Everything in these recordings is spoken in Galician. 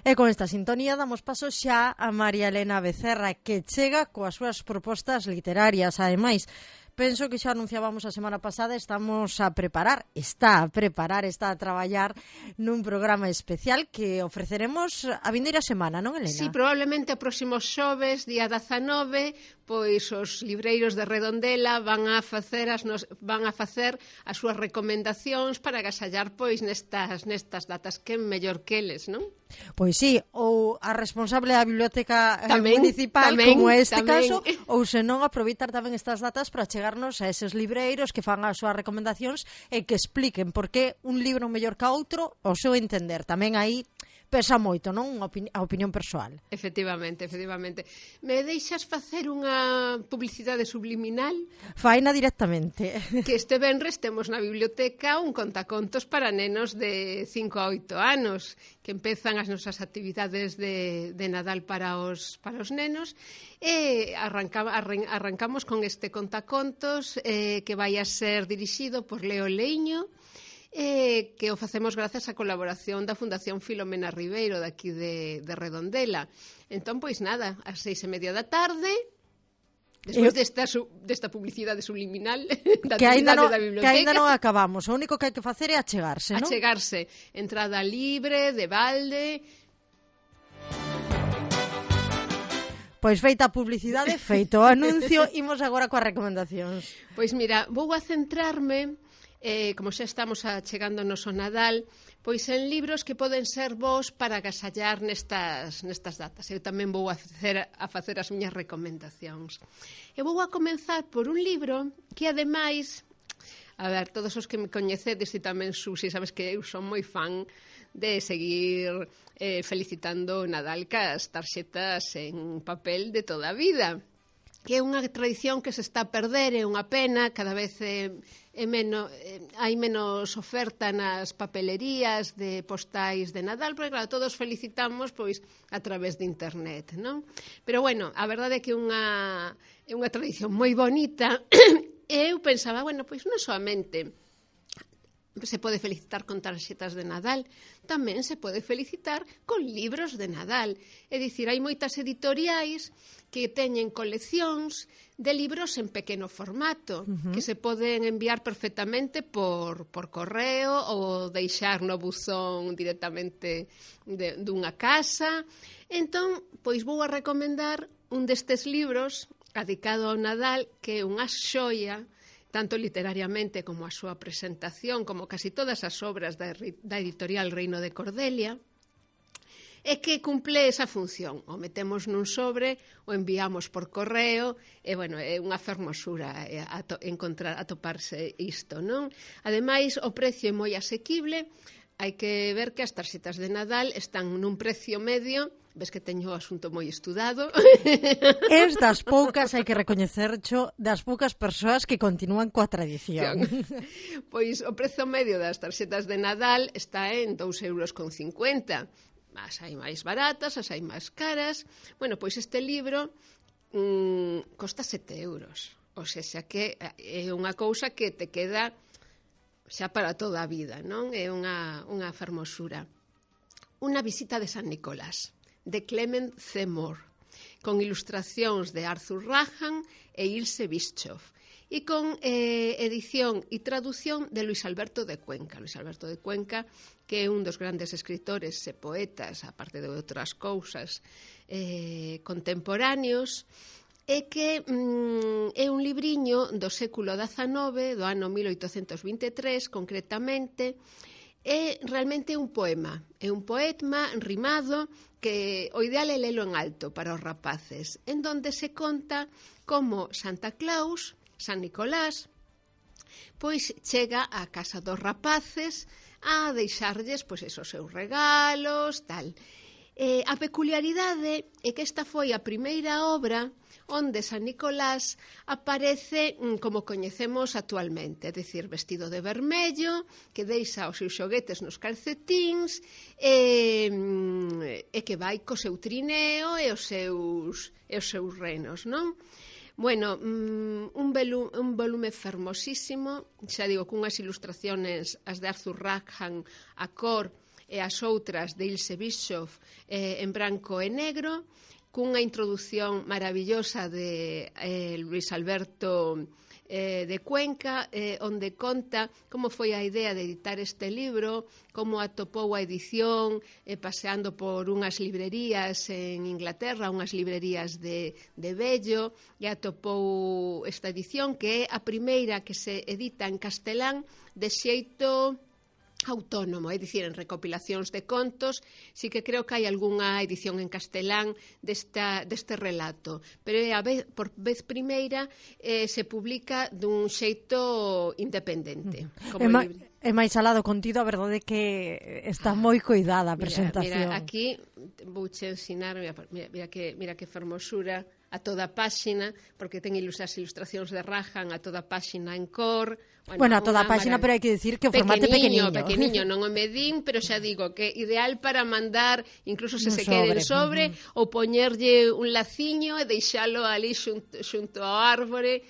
E con esta sintonía damos paso xa a María Elena Becerra, que chega coas súas propostas literarias. Ademais, penso que xa anunciábamos a semana pasada, está a traballar nun programa especial que ofreceremos a vindeira semana, non, Elena? Sí, probablemente o próximo xoves, día 19, pois os libreiros de Redondela van a facer as súas recomendacións para agasallar pois nestas datas, que mellor que eles, non? Pois sí, ou a responsable da biblioteca municipal, como é este caso, ou senón aproveitar tamén estas datas para chegarnos a eses libreiros que fan as súas recomendacións e que expliquen por que un libro mellor que outro, ao seu entender. Tamén aí pesa moito, non? A opinión persoal. Efectivamente. Me deixas facer unha publicidade subliminal? Faina directamente. Que este venres temos na biblioteca un contacontos para nenos de 5 a 8 anos, que empezan as nosas actividades de Nadal para os nenos, e arrancamos con este contacontos que vai a ser dirixido por Leo Leiño, que o facemos grazas á colaboración da Fundación Filomena Ribeiro daqui de Redondela. Entón, pois nada, ás 6:30 da tarde, despois desta publicidade subliminal da actividade da biblioteca, que ainda non acabamos, o único que hai que facer é achegarse, non? Achegarse, entrada libre, de balde. Pois feita a publicidade, feito o anuncio, imos agora coas recomendacións. Pois mira, vou a centrarme, como xa estamos chegándonos ao Nadal, pois en libros que poden ser bons para agasallar nestas datas. Eu tamén vou a facer as miñas recomendacións. E vou a comenzar por un libro que, ademais, a ver, todos os que me coñecedes e tamén Susi, sabes que eu son moi fan de seguir felicitando o Nadal cas tarxetas en papel de toda a vida, que é unha tradición que se está a perder, é unha pena, cada vez hai menos oferta nas papelerías de postais de Nadal, porque claro, todos felicitamos pois a través de internet, non? Pero bueno, a verdade é que é unha tradición moi bonita, e eu pensaba, bueno, pois non solamente se pode felicitar con tarxetas de Nadal, tamén se pode felicitar con libros de Nadal. É dicir, hai moitas editoriais que teñen coleccións de libros en pequeno formato, que se poden enviar perfectamente por correo ou deixar no buzón directamente dunha casa. Entón, pois vou a recomendar un destes libros dedicado ao Nadal, que é unha xoia, tanto literariamente como a súa presentación, como casi todas as obras da editorial Reino de Cordelia, e que cumple esa función. O metemos nun sobre, o enviamos por correo, e, bueno, é unha fermosura atoparse isto, non? Ademais, o precio é moi asequible, hai que ver que as tarxetas de Nadal están nun precio medio. Ves que teño o asunto moi estudado. Es das poucas, hai que recoñecercho, das poucas persoas que continúan coa tradición. Pois o prezo medio das tarxetas de Nadal está en 2,50 €. As hai máis baratas, as hai máis caras. Bueno, pois este libro costa 7 €. O sea que é unha cousa que te queda xa para toda a vida, non? É unha fermosura. Unha visita de San Nicolás, de Clement C. Moore, con ilustracións de Arthur Rahan e Ilse Bischoff, e con edición e traducción de Luis Alberto de Cuenca. Luis Alberto de Cuenca, que é un dos grandes escritores e poetas, aparte de outras cousas, contemporáneos, e que é un libriño do século XIX, do ano 1823, concretamente. É realmente un poema, é un poema rimado que o ideal é lelo en alto para os rapaces, en donde se conta como Santa Claus, San Nicolás, pois chega á casa dos rapaces a deixarlles pois esos seus regalos, tal. A peculiaridade é que esta foi a primeira obra onde San Nicolás aparece como coñecemos actualmente, é dicir, vestido de vermello, que deixa os seus xoguetes nos calcetíns e que vai co seu trineo e os seus renos, non? Bueno, un volume fermosísimo, xa digo, cunhas ilustraciones, as de Arthur Rackham, a cor, e as outras de Ilse Bischoff en branco e negro, cunha introdución maravillosa de Luis Alberto de Cuenca, onde conta como foi a idea de editar este libro, como atopou a edición paseando por unhas librerías en Inglaterra, unhas librerías de vello, e atopou esta edición que é a primeira que se edita en castelán de xeito autónomo, é dicir, en recopilacións de contos. Sí que creo que hai algunha edición en castelán deste relato, pero por vez primeira se publica dun xeito independente. É máis alado contido, a verdade é que está moi cuidada a presentación. Mira, aquí vouche ensinar, mira que fermosura, a toda a páxina, porque ten as ilustracións de Rajan a toda a páxina en cor. Bueno, a toda a páxina, pero hai que dicir que o formato é pequeniño. Pequeniño, non o medín, pero xa digo que ideal para mandar, incluso se quede en sobre, ou poñerlle un laciño e deixalo ali xunto ao árbore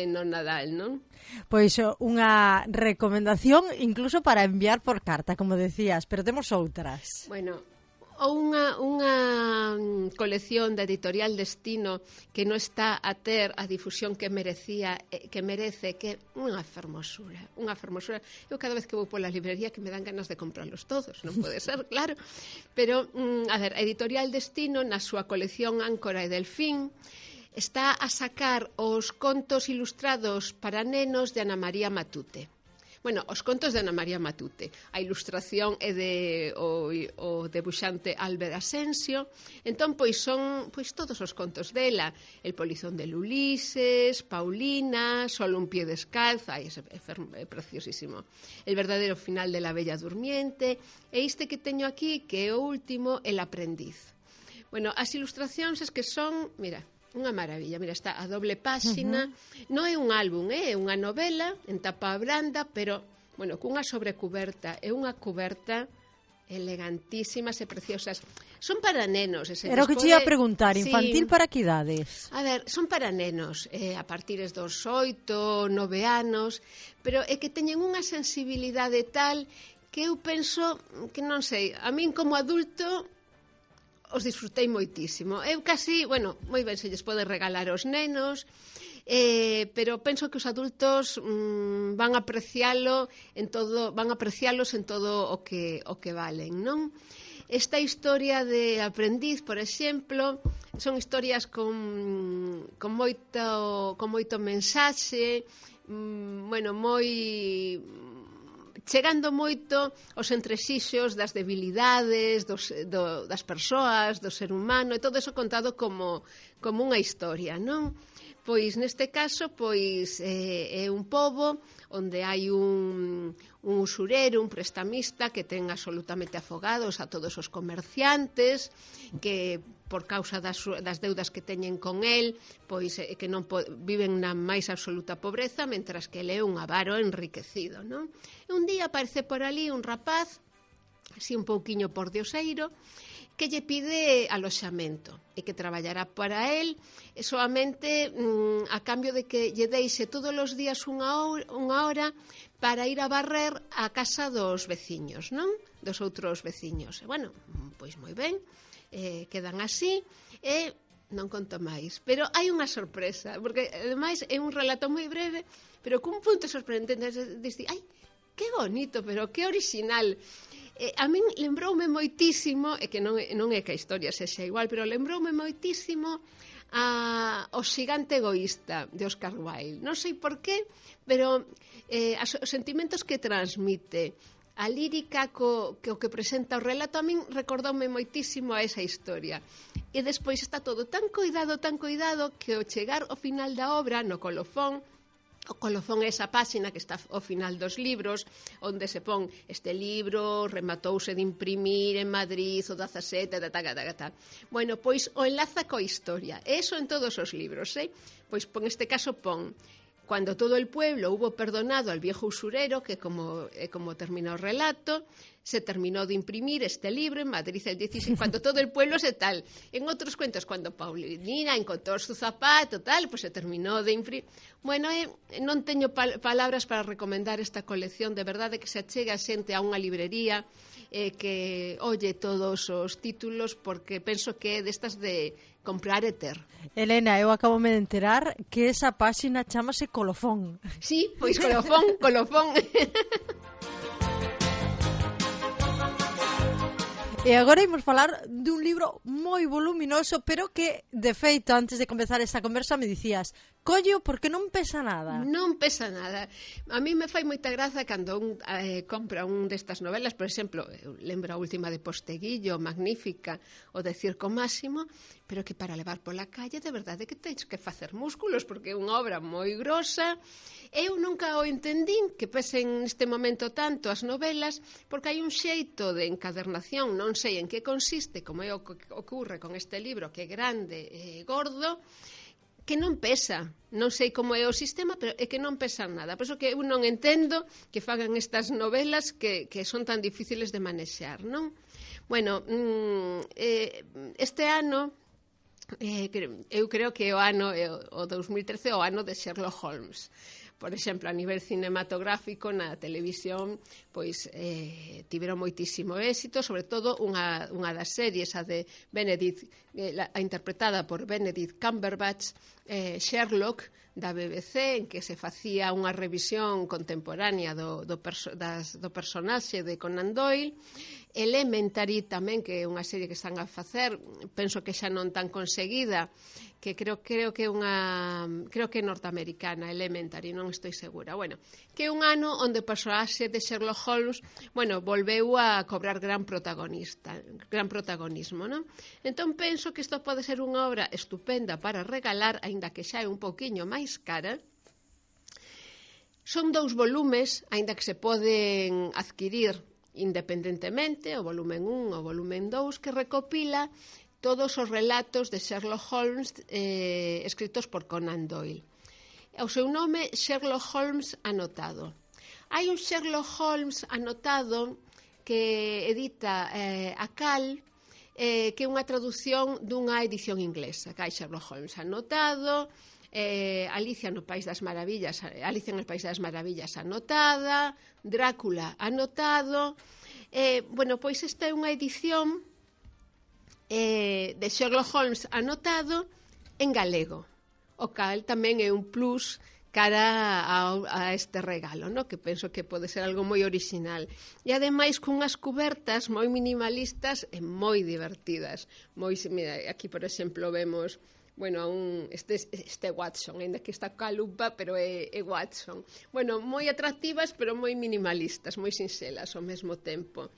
no Nadal, non? Pois unha recomendación incluso para enviar por carta, como decías, pero temos outras. Bueno, ou unha colección da Editorial Destino que non está a ter a difusión que merece, que é unha fermosura. Eu cada vez que vou pola librería que me dan ganas de comprarlos todos, non pode ser, claro. Pero, a ver, a Editorial Destino, na súa colección Áncora e Delfín, está a sacar os contos ilustrados para nenos de Ana María Matute. Bueno, os contos de Ana María Matute. A ilustración é o debuxante Álvaro Asensio. Entón, pois son todos os contos dela. El polizón de Ulises, Paulina, Solo un pie descalzo, é preciosísimo. El verdadero final de la bella durmiente. E este que teño aquí, que é o último, El aprendiz. Bueno, as ilustracións es que son, mira, unha maravilla, mira, está a doble páxina, non é un álbum, é unha novela en tapa blanda, pero, bueno, cunha sobrecuberta, é unha cuberta elegantísimas e preciosas. Son para nenos. Era o que te ia a preguntar, infantil para que idades? A ver, son para nenos, a partir dos 8, 9 anos, pero é que teñen unha sensibilidade tal que eu penso que, non sei, a min como adulto os disfrutei moitísimo. Eu casi, bueno, moi ben se lles pode regalar aos nenos, pero penso que os adultos van a apreciálos en todo o que valen, non? Esta historia de aprendiz, por exemplo, son historias con moito mensaxe, bueno, chegando moito aos entresixos das debilidades das persoas, do ser humano, e todo eso contado como unha historia, non? Pois neste caso é un pobo onde hai un usurero, un prestamista que ten absolutamente afogados a todos os comerciantes, que por causa das deudas que teñen con el, pois que non viven na máis absoluta pobreza, mentras que ele é un avaro enriquecido, non? E un día aparece por ali un rapaz, así un pouquiño pordioseiro, que lle pide aloxamento e que traballará para el solamente a cambio de que lle deixe todos os días unha hora para ir a barrer a casa dos veciños, non? Dos outros veciños. E, bueno, pois moi ben, quedan así e non conto máis. Pero hai unha sorpresa, porque ademais é un relato moi breve, pero cun punto sorprendente. Dice, ai, que bonito, pero que original. A min lembroume moitísimo, e que non é que a historia sexa igual, pero lembroume moitísimo o xigante egoísta de Oscar Wilde. Non sei por qué, pero os sentimentos que transmite, a lírica que presenta o relato, a min recordoume moitísimo a esa historia. E despois está todo tan cuidado, que ao chegar ao final da obra, no colofón, o colofón é esa páxina que está ao final dos libros, onde se pon este libro rematouse de imprimir en Madrid o 17, Bueno, pois o enlaza coa historia. Eso en todos os libros, Pois neste caso pon Cuando todo el pueblo hubo perdonado al viejo usurero, que como terminó el relato, se terminó de imprimir este libro en Madrid el 16, cuando todo el pueblo se tal. En otros cuentos, cuando Paulina encontró su zapato, tal, pues se terminó de imprimir. Bueno, non teño palabras para recomendar esta colección, de verdade que se achegue a xente a unha librería, que olle todos os títulos, porque penso que é destas de comprar e ter. Elena, eu acabome de enterar que esa páxina chamase Colofón. Sí, pois colofón. E agora imos falar dun libro moi voluminoso, pero que, de feito, antes de comezar esta conversa me dicías, colleo porque non pesa nada. Non pesa nada. A mí me fai moita graza cando un compra un destas novelas, por exemplo, eu lembro a última de Posteguillo, magnífica, o de Circo Máximo, pero que para levar pola calle de verdade que tens que facer músculos, porque é unha obra moi grosa. Eu nunca o entendín que pesen neste momento tanto as novelas, porque hai un xeito de encadernación, non sei en que consiste, como é o que ocurre con este libro, que é grande e gordo, que non pesa. Non sei como é o sistema, pero é que non pesa nada. Por iso que eu non entendo que fagan estas novelas que son tan difíciles de manexar, non? Bueno, este ano, eu creo que o ano, o 2013, o ano de Sherlock Holmes. Por exemplo, a nivel cinematográfico, na televisión, pois tiveron moitísimo éxito, sobre todo unha das series, a de Benedict, interpretada por Benedict Cumberbatch, Sherlock, da BBC, en que se facía unha revisión contemporánea do personaxe de Conan Doyle. Elementary tamén, que é unha serie que están a facer, penso que xa non tan conseguida, que creo que é norteamericana, Elementary, non estou segura. Bueno, que é un ano onde o personaxe de Sherlock Holmes, bueno, volveu a cobrar gran protagonismo, non? Entón penso que isto pode ser unha obra estupenda para regalar, aínda que xa é un pouquiño máis cara. Son 2 volumes, aínda que se poden adquirir independentemente, o volumen 1 o volumen 2, que recopila todos os relatos de Sherlock Holmes escritos por Conan Doyle. O seu nome, Sherlock Holmes Anotado. Hai un Sherlock Holmes Anotado que edita a Cal, que é unha traducción dunha edición inglesa. Que hai Sherlock Holmes Anotado, Alicia no País das Maravillas, Alicia no País das Maravillas anotada, Drácula anotado. Bueno, pois esta é unha edición de Sherlock Holmes anotado en galego, o cal tamén é un plus cara a este regalo, no? Que penso que pode ser algo moi original. E ademais cunhas cubertas moi minimalistas e moi divertidas. Mira, aquí, por exemplo, vemos este Watson, ainda que está coa lupa, pero é Watson. Bueno, moi atractivas, pero moi minimalistas, moi sinxelas ao mesmo tempo.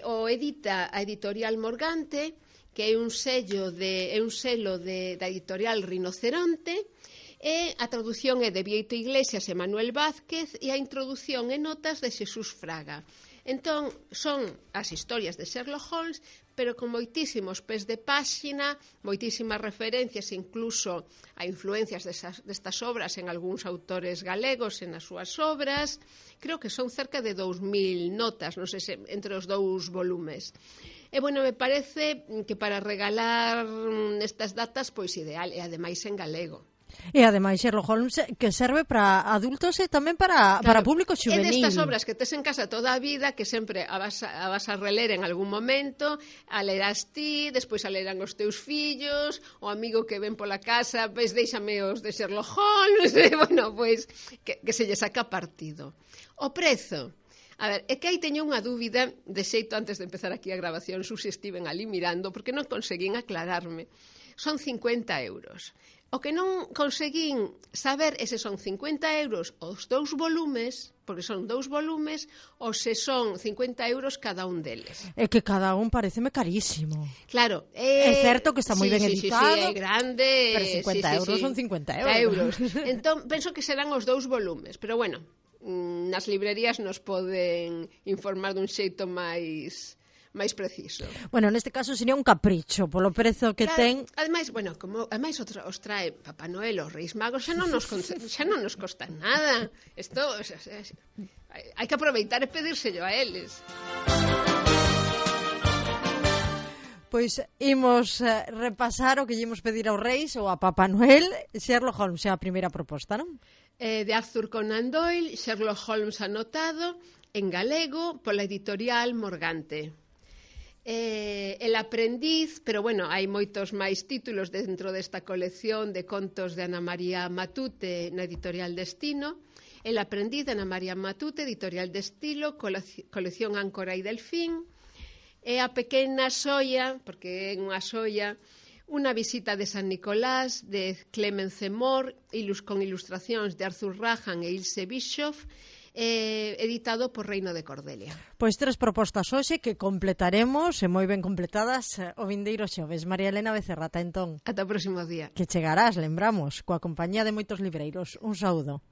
O edita a editorial Morgante, que é un selo da editorial Rinoceronte, e a traducción é de Bieito Iglesias e Manuel Vázquez, e a introducción e notas de Xesús Fraga. Entón, son as historias de Sherlock Holmes, pero con moitísimos pés de páxina, moitísimas referencias, incluso a influencias destas obras en algúns autores galegos e nas súas obras. Creo que son cerca de 2000 notas, non sei se entre os 2 volumes. E, bueno, me parece que para regalar nestas datas, pois ideal, e ademais en galego. E ademais Sherlock Holmes que serve para adultos e tamén para público xuvenil. É destas obras que tes en casa toda a vida, que sempre a vas a reler en algún momento, a lerás ti, despois a lerán os teus fillos, o amigo que ven pola casa, pois déixame os de Sherlock Holmes, bueno, pois que se lle saca partido. O prezo, a ver, é que aí teño unha dúbida, de xeito antes de empezar aquí a grabación, se estiven ali mirando, porque non conseguín aclararme. Son 50 euros. O que non conseguín saber é se son 50 euros os 2 volumes, porque son 2 volumes, ou se son 50 euros cada un deles. É que cada un pareceme carísimo. Claro. É certo que está moi ben editado. Sí, é grande. Pero 50 euros son 50 euros. Entón, penso que serán os 2 volumes, pero bueno, nas librerías nos poden informar dun xeito máis máis preciso. Bueno, neste caso sería un capricho, polo prezo que ten. Ademais, os trae Papá Noel, os Reis Magos, xa non nos costa nada. Isto, hai que aproveitar e pedírselo a eles. Pois imos repasar o que lle imos pedir aos Reis ou a Papá Noel. Sherlock Holmes é a primeira proposta, non? De Arthur Conan Doyle, Sherlock Holmes anotado, en galego, pola editorial Morgante. El aprendiz, pero bueno, hai moitos máis títulos dentro desta colección de contos de Ana María Matute na editorial Destino. El aprendiz de Ana María Matute, editorial Destino, colección Áncora e Delfín. E a pequena xoia, porque é unha xoia, unha visita de San Nicolás de Clemence Moore, con ilustracións de Arthur Rahan e Ilse Bischoff, editado por Reino de Cordelia. Pois 3 propostas hoxe que completaremos, e moi ben completadas, o vindeiro xoves. María Elena Becerra, ata entón. Ata o próximo día. Que chegarás, lembramos, coa compañía de moitos libreiros. Un saúdo.